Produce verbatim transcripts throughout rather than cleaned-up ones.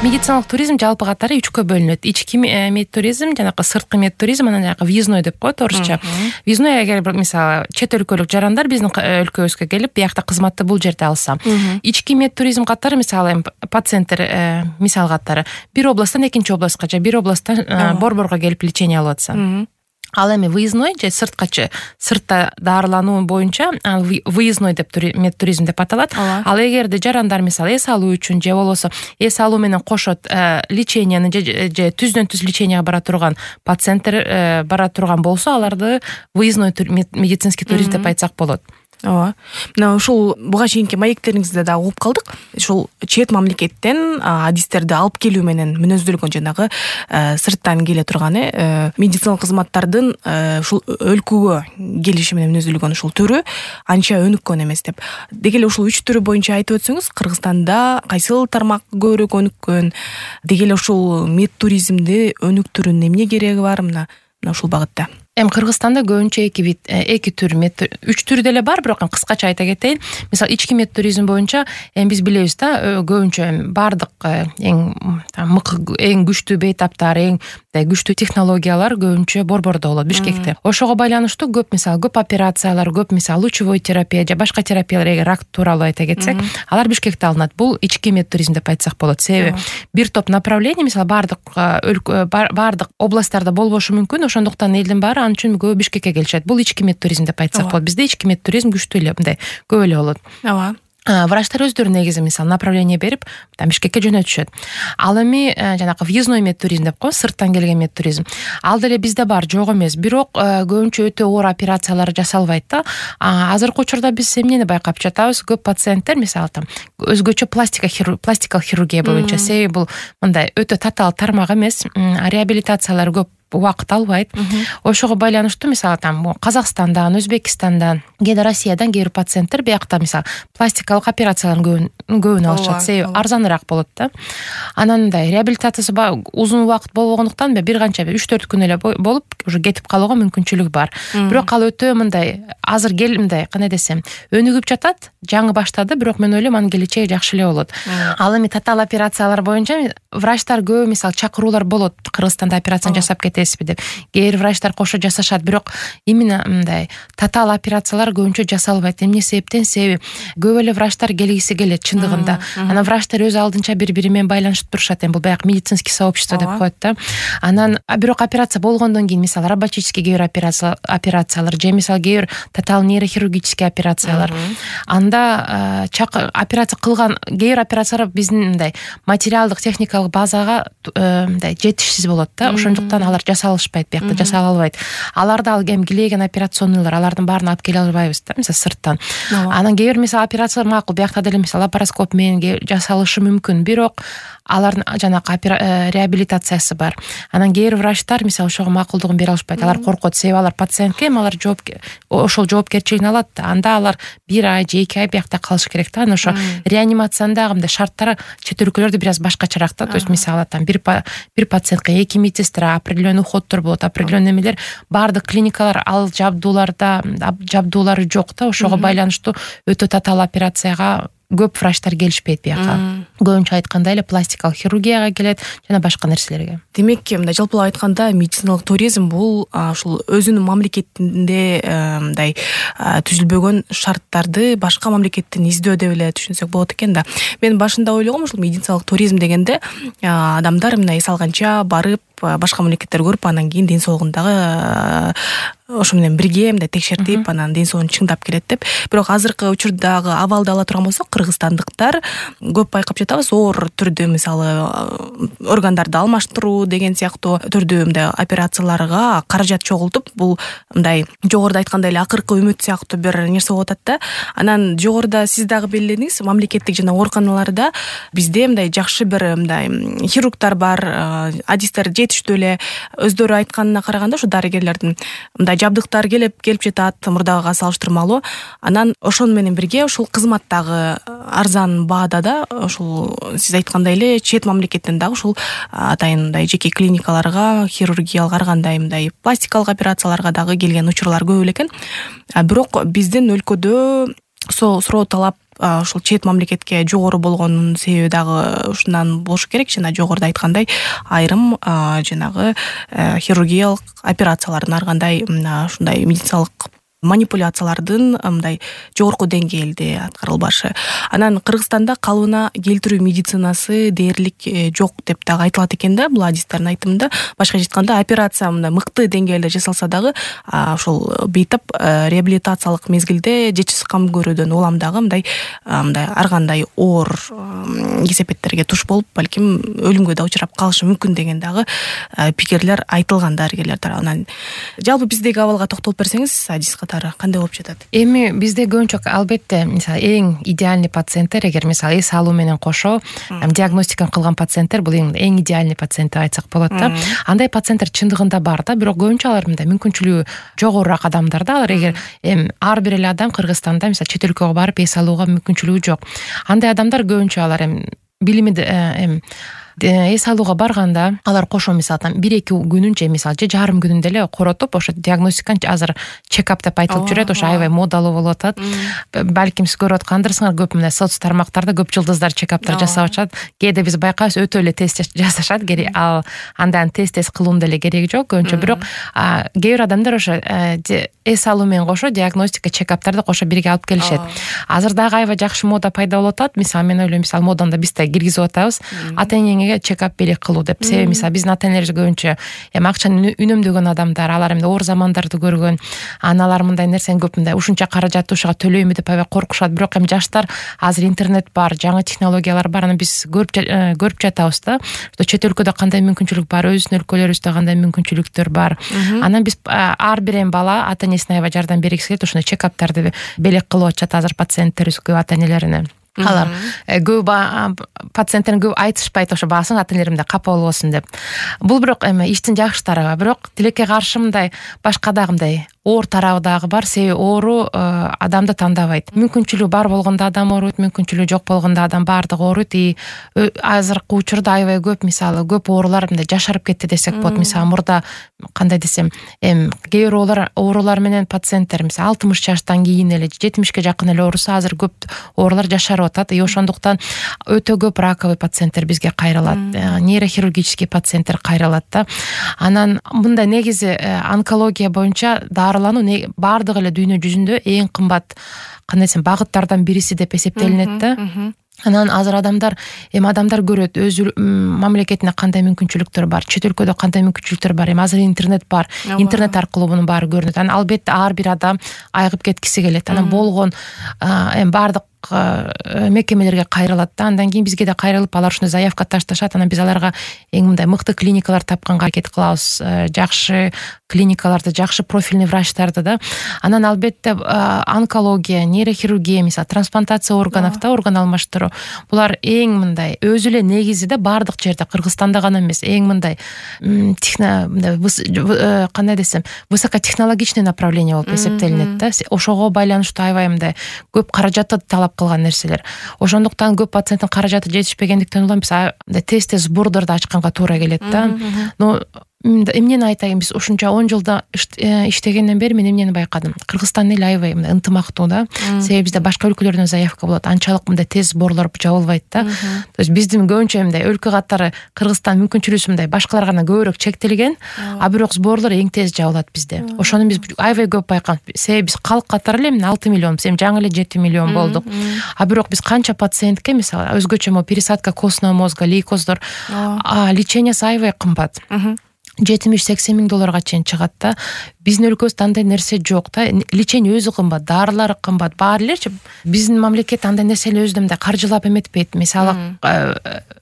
Медициналык туризм жалпы катары үчкө бөлүнөт. Ички медтуризм, жанагы сырткы медтуризм, анан жанагы въездной деп коет орусча. Въездной эгер мисалы чет өлкөлүк жарандар биздин өлкөбүзгө келип, биякта кызматты бул жерде алса. Ички медтуризм катары мисалы пациенттер мисал катары бир областтан экинчи областка же бир областтан борборго келип лечение алып атса. Ал эми выездной же сырткачы сыртта дарылануу боюнча выездной деп медтуризм деп аталат. Ал эгерде жарандар мисалы эс алуу үчүн же болбосо эс алуу менен кошот леченияны же түздөн түз леченияга бара турган пациенттер бара турган болсо, аларды выездной медицинский туризм деп айтсак болот. Ооба. Мына ушул буга чейинки маектериңизде да угуп калдык. Ушул чет мамлекеттен адистерди алып келүү менен мүнөздөлгөн жанагы сырттан келе турган медициналык кызматтардын ушул өлкөгө келиши менен мүнөздөлгөн ушул түрү анча өнүккөн эмес деп. Деги эле ушул үч түрү боюнча айтып өтсөңүз, Кыргызстанда кайсыл тармак көбүрөөк өнүккөн? Деги эле ушул медтуризмди өнүктүрүүнүн эмне кереги бар мына ушул багытта? Эми Кыргызстанда көбүнчө эки вид, эки түр мед, үч түр деле бар, бирок кыскача айта кетейин. Мисалы, ички медтуризм боюнча эми биз билебиз да, көбүнчө бардык эң мыкты, эң күчтүү бейтаптар, эң күчтүү технологиялар көбүнчө борбордо болот, Бишкекте. Ошого байланыштуу көп мисалы көп операциялар, көп мисалы лучевой терапия же башка терапиялар, эгер рак тууралуу айта кетсек, алар Бишкекте алынат. Бул ички медтуризм деп айтсак болот. Себеби бир топ направление, мисалы бардык бардык областтарда болбошу мүмкүн, ошондуктан элдин баары ал үчүн көбү Бишкекке келишет. Бул ички медтуризм деп айтсак болот. Бизде ички медтуризм күчтүү эле, мындай көп эле болот. Ооба. Врачтар өздөрү негизи мисалы направление берип, Бишкекке жөнөтүшөт. Ал эми жанагы въездной медтуризм деп коебуз, сырттан келген медтуризм. Ал деле бизде бар, жок эмес. Бирок көбүнчө өтө оор операциялар жасалбайт да. Азыркы учурда биз эмнени байкап жатабыз? Көп пациенттер мисалы там өзгөчө пластика пластикалык хирургия боюнча, себеби бул мындай өтө татаал тармак эмес, реабилитациялар көп убакыт албайт. Ошого байланыштуу мисалы там Казакстандан, Өзбекстандан, кээде Россиядан кээ бир пациенттер биякта мисалы пластикалык операциялардын көбүн алышат, себеби арзаныраак болот да. Анан мындай реабилитациясы узун убакыт болбогондуктан бир канча үч төрт күн эле болуп уже кетип калууга мүмкүнчүлүк бар. Бирок ал өтө мындай азыр кел мындай кандай десем, өнүгүп жатат, жаңы баштады, бирок мен ойлойм анын келечеги жакшы эле болот. Ал эми татаал операциялар боюнча врачтар көп мисалы чакыруулар болот, Кыргызстанда операцияны жасап кетесизби деп. Кээ бир врачтар кошо жасашат, бирок именно мындай татаал операциялар көбүнчө жасалбайт. Эмне себептен? Себеби көп эле врачтар келгиси келет чындыгында. Анан врачтар өз алдынча бири-бири менен байланышып турушат. Эми бул баягы медицинский сообщество деп коет да. Анан бирок операция болгондон кийин мисалы роботический кээ бир операциялар же мисалы кээ бир татаал нейрохирургический операциялар. Анда операция кылган кээ бир операциялар биздин мындай материалдык техникалык базага мындай жетишсиз болот да. Ошондуктан алар жасалышпайт, биякта жасала албайт. Аларды ал эми килеген операционныйлар, алардын баарын алып келе албайбыз да, мисалы сырттан. Анан кээ бир мисалы операциялар макул, биякта деле мисалы лапароскоп менен жасалышы мүмкүн, бирок алардын жанагы реабилитациясы бар. Анан кээ бир врачтар мисалы ошого макулдугун бере алышпайт. Алар коркот, себеби алар пациентке эми алар жооп ошол жоопкерчилигин алат да. Анда алар бир ай же эки ай биякта калыш керек да. Анан ошо реанимациянын дагы мындай шарттары чет өлкөлөрдө бир аз башкачараак да. То есть мисалы там бир бир пациентке эки медсестра, определенный уходдор болот, определенный эмелер, баардык клиникалар ал жабдууларда жабдуулары жок да. Ошого байланыштуу өтө татаал операцияга көп врачтар келишпейт бияка. Көбүнчө айтканда эле пластикалык хирургияга келет жана башка нерселерге. Демек, мындай жалпылап айтканда медициналык туризм бул ушул өзүнүн мамлекетинде мындай түзүлбөгөн шарттарды башка мамлекеттен издөө деп эле түшүнсөк болот экен да. Мен башында ойлогом ушул медициналык туризм дегенде адамдар мына эс алганча барып башка мамлекеттер көрүп, анан кийин ден соолугундагы ошо менен бирге мындай текшертип, анан ден соолугун чыңдап келет деп. Бирок азыркы учурдагы абалды ала турган болсок, кыргызстандыктар көп байкап жатабыз, оор түрдө мисалы органдарды алмаштыруу деген сыяктуу түрдүү мындай операцияларга каражат чогултуп, бул мындай жогоруда айткандай эле акыркы үмүт сыяктуу бир нерсе болуп атат да. Анан жогоруда сиз дагы белгиледиңиз, мамлекеттик жана ооруканаларда бизде мындай жакшы бир мындай хирургдар бар, адистер жетиштүү эле. Өздөрү айтканына караганда ушу дарыгерлердин мындай жабдыктар келип келип жатат мурдагыга салыштырмалуу. Анан ошону менен бирге ушул кызмат дагы арзан баада да, ушул сиз айткандай эле чет мамлекеттен дагы ушул атайын мындай жеке клиникаларга, хирургиялык ар кандай мындай пластикалык операцияларга дагы келген учурлар көп эле экен. Бирок биздин өлкөдө суроо талап ушул чет мамлекетке жогору болгонунун себеби дагы ушундан болушу керек. Жана жогоруда айткандай айрым жанагы хирургиялык операциялардын ар кандай ушундай медициналык манипуляциялардын мындай жогорку деңгээлде аткарылбашы. Анан Кыргызстанда калыбына келтирүү медицинасы дээрлик жок деп дагы айтылат экен да, бул адистердин айтымында. Башкача айтканда операция мындай мыкты деңгээлде жасалса дагы ошол бейтап реабилитациялык мезгилде жетишсиз кам көрүүдөн улам дагы мындай мындай ар кандай оор кесепеттерге туш болуп, балким өлүмгө да учурап калышы мүмкүн деген дагы пикирлер айтылган дарыгерлер тарабынан. Жалпы биздеги абалга токтолуп берсеңиз, адис кандай болуп жатат? Эми бизде көбүнчө албетте мисалы эң идеальный пациенттер, эгер мисалы эс алуу менен кошо диагностиканы кылган пациенттер, бул эң эң идеальный пациент деп айтсак болот да. Андай пациенттер чындыгында бар да, бирок көбүнчө алар мындай мүмкүнчүлүгү жогорураак адамдар да. Алар эгер эми ар бир эле адам Кыргызстанда мисалы чет өлкөгө барып эс алууга мүмкүнчүлүгү жок. Андай адамдар көбүнчө алар эми билими эми эс алууга барганда алар кошо мисалы там бир эки күнүнчө мисалы же жарым күнүндө эле коротуп, ошо диагностиканы азыр чекап деп айтылып жүрөт, ошо аябай модалуу болуп атат. Балким сиз көрүп аткандырсыңар, көп мындай соц тармактарда көп жылдыздар чекаптар жасап атышат. Кээде биз байкайбыз өтө эле тест жасашат, керек ал андан тест тест кылуунун деле кереги жок көбүнчө. Бирок кээ бир адамдар ошо эс алуу менен кошо диагностика чекаптарды кошо бирге алып келишет. Азыр дагы аябай жакшы мода пайда болуп атат. Мисалы мен ойлойм, мисалы моданы биз да киргизип атабыз. Ата-энеңе чекап белек кылуу деп. Себеби мисалы биздин ата-энелерибиз көбүнчө эми акчаны үнөмдөгөн адамдар, алар эми оор замандарды көргөн, аналар мындай нерсени көп мындай ушунча каражатты ушуга төлөймү деп аябай коркушат. Бирок эми жаштар азыр интернет бар, жаңы технологиялар бар, аны биз көрүп көрүп жатабыз да. Чет өлкөдө кандай мүмкүнчүлүк бар, өзүбүздүн өлкөлөрүбүздө кандай мүмкүнчүлүктөр бар. Анан биз ар бир эми бала ата-энесине аябай жардам бергиси келет, ошондой чекаптарды белек кылып атышат азыр пациенттерибиз көп ата-энелерине. Алар көп пациенттерин көп айтышпайт, ошо баасын ата-энелерим да капа болбосун деп. Бул бирок эми иштин жакшы тарабы, бирок тилекке каршы мындай башка дагы мындай оор тарабы дагы бар. Себеби оору адамды тандабайт. Мүмкүнчүлүгү бар болгондо адам ооруйт, мүмкүнчүлүгү жок болгондо адам баардыгы ооруйт. И азыркы учурда аябай көп мисалы көп оорулар мындай жашарып кетти десек болот. Мисалы мурда кандай десем, эми кээ бир оорулар оорулар менен пациенттер мисалы алтымыш жаштан кийин эле жетимишке жакын эле ооруса, азыр көп оорулар жашарып атат. И ошондуктан өтө көп раковый пациенттер бизге кайрылат, нейрохирургический пациенттер кайрылат да. Анан мындай негизи онкология боюнча дарылануу баардык эле дүйнө жүзүндө эң кымбат кандай десем багыттардан бириси деп эсептелинет да. Анан азыр адамдар эми адамдар көрөт өз мамлекетинде кандай мүмкүнчүлүктөр бар, чет өлкөдө кандай мүмкүнчүлүктөр бар. Эми азыр интернет бар, интернет аркылуу мунун баары көрүнөт. Анан албетте ар бир адам айыгып кеткиси келет. Анан болгон эми баардык мекемелерге кайрылат да. Андан кийин бизге да кайрылып, алар ушундай заявка ташташат. Анан биз аларга эң мындай мыкты клиникалар тапканга аракет кылабыз, жакшы клиникаларды, жакшы профильный врачтарды да. Анан албетте онкология, нейрохирургия, мисалы трансплантация органов да, орган алмаштыруу. Булар эң мындай өзү эле негизи да баардык жерде, Кыргызстанда гана эмес, эң мындай кандай десем, высокотехнологичный направление болуп эсептелинет да. Ошого байланыштуу аябай мындай көп каражатты талап кылган нерселер. Ошондуктан көп пациенттин каражаты жетишпегендиктен улам биз тест сбордорду ачканга туура келет да. Но эмнени айтайын, биз ушунча он жылда иштегенден бери мен эмнени байкадым. Кыргызстан эл аябай ынтымактуу да. Себеби бизде башка өлкөлөрдөн заявка болот, анчалык мындай тез сборлор жабылбайт да. То есть биздин көбүнчө мындай өлкө катары Кыргызстан мүмкүнчүлүгү мындай башкалардан көбүрөөк чектелген, а бирок сборлор эң тез жабылат бизде. Ошону биз аябай көп байкадык. Себеби биз калк катары эле алты миллион, эми жаңы эле жети миллион болдук. А бирок биз канча пациентке мисалы өзгөчө мо пересадка костного мозга, лейкоздор, а лечениясы аябай кымбат. жетимиш сексен миң долларга чейин чыгат да. Биздин өлкөбүздө андай нерсе жок да. Лечение өзү кымбат, дарылар кымбат. Баары элечи биздин мамлекет андай нерсени өзү мындай каржылап эметпейт. Мисалы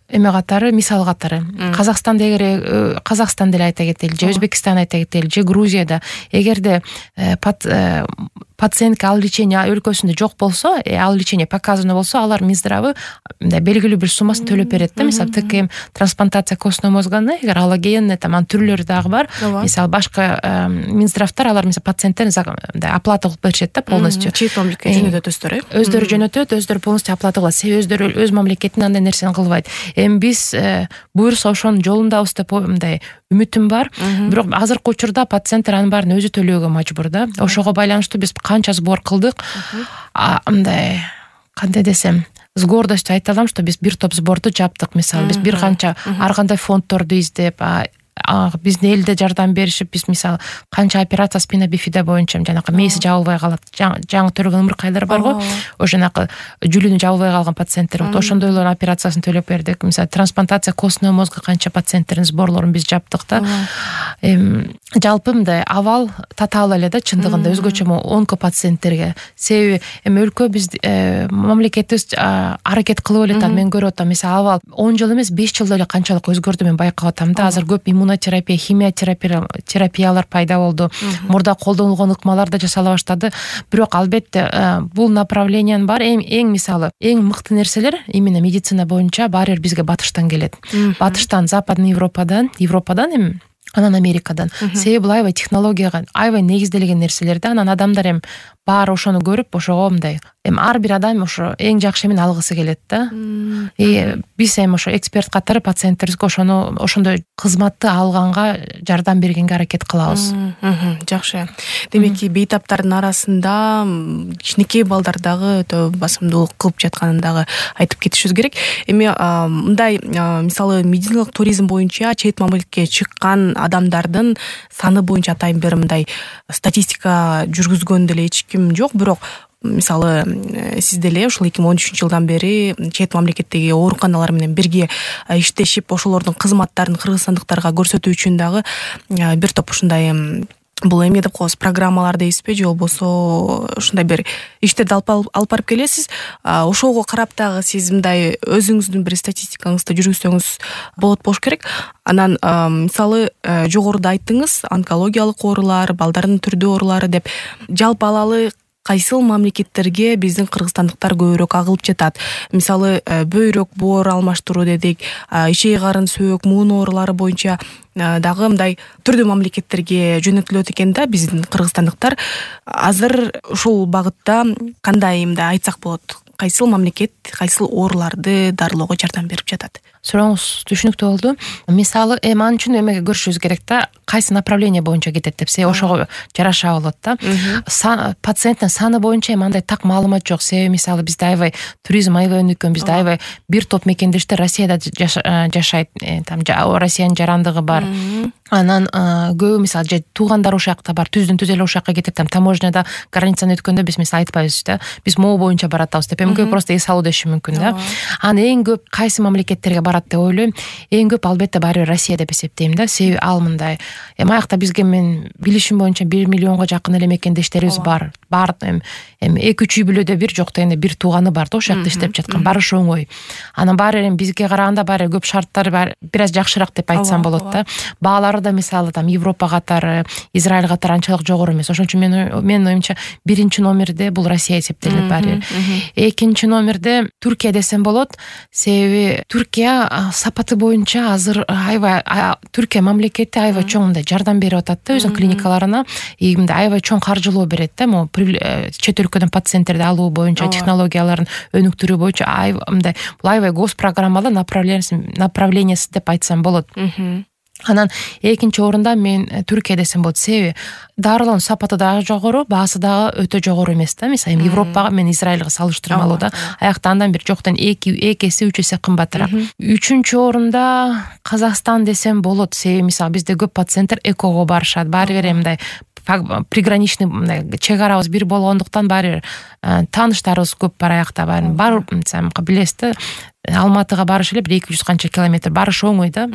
эме катары, мисал катары. Казакстанда эгер Казакстанда эле айта кетели, же Өзбекстан айта кетели, же Грузияда эгерде пациентке ал лечение өлкөсүндө жок болсо, ал лечение показано болсо, алар Минздравы мындай белгилүү бир суммасын төлөп берет да. Мисалы ТКМ трансплантация костного мозганы, эгер аллогенный там түрлөрү дагы бар. Мисалы башка Минздравтар алар мисалы пациенттерин оплата кылып беришет да полностью. Чет мамлекетке жөнөтөт өздөрү. Өздөрү жөнөтөт, өздөрү полностью оплата кылат. Себеби өздөрү өз мамлекетинин андай нерсени кылбайт. Эми биз буюрса ошонун жолундабыз деп мындай үмүтүм бар. Бирок азыркы учурда пациенттер анын баарын өзү төлөөгө мажбур да. Ошого байланыштуу биз канча сбор кылдык, мындай кандай десем, с гордостью айта алам, что биз бир топ сборду жаптык. Мисалы биз бир канча ар кандай фонддорду издеп, биздин элде жардам беришип, биз мисалы канча операция спина бифида боюнча жанакы мээси жабылбай калат, жаңы төрөгөн ымыркайлар барго, ошо жанакы жүлүнү жабылбай калган пациенттер болот. Ошондойлордун операциясын төлөп бердик. Мисалы трансплантация костного мозга канча пациенттердин сборлорун биз жаптык да. Эми жалпы мындай абал татаал эле да, чындыгында өзгөчө онко пациенттерге. Себеби эми өлкө биз мамлекетибиз аракет кылып эле атат. Мен көрүп атам, мисалы абал он жыл эмес беш жылда эле канчалык өзгөрдү мен байкап атам да. Азыр көп иммунотерапия, химия терапиялар пайда болду. Мурда колдонулгон ыкмалар да жасала баштады. Бирок албетте бул направлениянын баары эң мисалы эң мыкты нерселер именно медицина боюнча баары бизге батыштан келет. Батыштан, Западный Европадан, Европадан эми анан Америкадан. Себеби бул аябай технологияга аябай негизделген нерселер да. Анан адамдар эми баары ошону көрүп, ошого мындай эми ар бир адам ошо эң жакшы эмени алгысы келет да. И биз эми ошо эксперт катары пациенттерибизге ошону ошондой кызматты алганга жардам бергенге аракет кылабыз. Жакшы. Демеки бейтаптардын арасында кичинекей балдар дагы өтө басымдуулук кылып жатканын дагы айтып кетишибиз керек. Эми мындай мисалы медициналык туризм боюнча чет мамлекетке чыккан адамдардын саны боюнча атайын бир мындай статистика жүргүзгөн деле эч ким жок, бирок мисалы сиз деле ушул эки миң он үчүнчү жылдан бери чет мамлекеттеги ооруканалар менен бирге иштешип, ошолордун кызматтарын кыргызстандыктарга көрсөтүү үчүн дагы бир топ ушундай бул эме деп коебуз, программалар дейсизби, же болбосо ушундай бир иштерди алып барып келесиз. Ошого карап дагы сиз мындай өзүңүздүн бир статистикаңызды жүргүзсөңүз болот болуш керек. Анан мисалы жогоруда айттыңыз, онкологиялык оорулар, балдардын түрдүү оорулары деп, жалпы алалы кайсыл мамлекеттерге биздин кыргызстандыктар көбүрөөк агылып жатат? Мисалы бөйрөк, боор алмаштыруу дедик, ишей карын, сөөк, муун оорулары боюнча дагы мындай түрдүү мамлекеттерге жөнөтүлөт экен да биздин кыргызстандыктар. Азыр ушул багытта кандай мындай айтсак болот? Кайсыл мамлекет кайсыл ооруларды дарылоого жардам берип жатат? Сурооңуз түшүнүктүү болду. Мисалы эми ал үчүн эмеге көрүшүбүз керек да, кайсы направление боюнча кетет деп, себеби ошого жараша болот да. Пациенттин саны боюнча эми андай так маалымат жок. Себеби мисалы бизде аябай туризм аябай өнүккөн, бизде аябай бир топ мекендештер Россияда жашайт, там Россиянын жарандыгы бар. Анан көбү мисалы же туугандар ошол жакта бар, түздүн түз эле ошол жака кетип, там таможняда границаны өткөндө биз мисалы айтпайбыз да, биз могу боюнча баратабыз деп. Эми көбү просто эс алуу деши мүмкүн да. Анан эң көп кайсы мамлекеттерге барат деп ойлойм. Эң көп албетте баары Россия деп эсептейм да. Себеби ал мындай. Эми аякта бизге мен билишим боюнча бир миллионго жакын эле мекендештерибиз бар. Бар эми эки үч үй бүлөдө бир жок дегенде бир тууганы бар да, ошол жакта иштеп жаткан. Барышы оңой. Анан баары эми бизге караганда баары көп шарттары бар, бир аз жакшыраак деп айтсам болот да. Баалары да мисалы там Европа катары, Израиль катары анчалык жогору эмес. Ошон үчүн мен менин оюмча биринчи номерде бул Россия эсептелет баары. Экинчи номерде Түркия десем болот. Себеби Түркия сапаты боюнча азыр аябай Түркия мамлекети аябай чоң мындай жардам берип атат да өзүнүн клиникаларына. И мындай аябай чоң каржылоо берет да, могу чет өлкөдөн пациенттерди алуу боюнча, технологияларын өнүктүрүү боюнча аябай мындай бул аябай госпрограммалуу направлениясы деп айтсам болот. Анан экинчи орунда мен Түркия десем болот. Себеби дарылоонун сапаты дагы жогору, баасы дагы өтө жогору эмес да. Мисалы Европага мен Израилга салыштырмалуу да. Аякта андан бир жоктон эки эки эсе үч эсе кымбатыраак. Үчүнчү орунда Казакстан десем болот. Себеби мисалы бизде көп пациенттер экого барышат. Баары бир мындай приграничный мындай чек арабыз бир болгондуктан баары тааныштарыбыз көп бар аякта. Баарын бар билесиз да. Алматыга барыш эле бир эки жүз канча километр, барыш оңой да.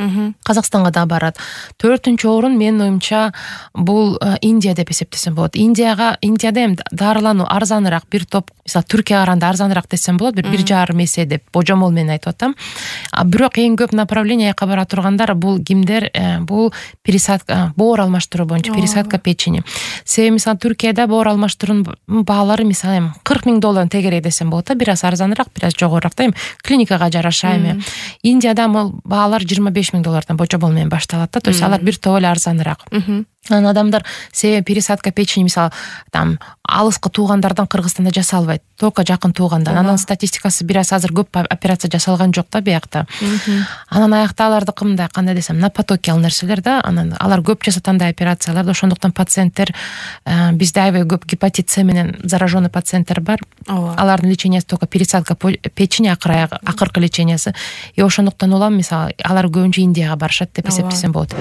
Казакстанга да барат. Төртүнчү орун менин оюмча бул Индия деп эсептесем болот. Индияга Индияда эми дарылануу арзаныраак, бир топ мисалы Түркияга караганда арзаныраак десем болот, бир бир жарым эсе деп божомол менен айтып атам. Бирок эң көп направление жака бара тургандар бул кимдер? Бул пересадка, боор алмаштыруу боюнча, пересадка печени. Себеби мисалы Түркияда боор алмаштыруунун баалары мисалы кырк миң доллар тегерек десем болот да, бир аз арзаныраак, бир аз жогорураак да. Клиника жараша эми. Индияда бул баалар жыйырма беш миң доллардан божомол менен башталат да. То есть алар бир топ эле арзаныраак. анан адамдар себеби пересадка печени мисалы там алыскы туугандардан Кыргызстанда жасалбайт, только жакын туугандан. Анын статистикасы бир аз азыр көп операция жасалган жок да биякта. Анан аякта алардыкы мындай кандай десем, на потоке ал нерселер да. Анан алар көп жасат андай операцияларды, ошондуктан пациенттер бизде аябай көп гепатит С менен зараженный пациенттер бар. Алардын лечениясы только пересадка печени, акыркы лечениясы. И ошондуктан улам мисалы алар көбүнчө Индияга барышат деп эсептесем болот.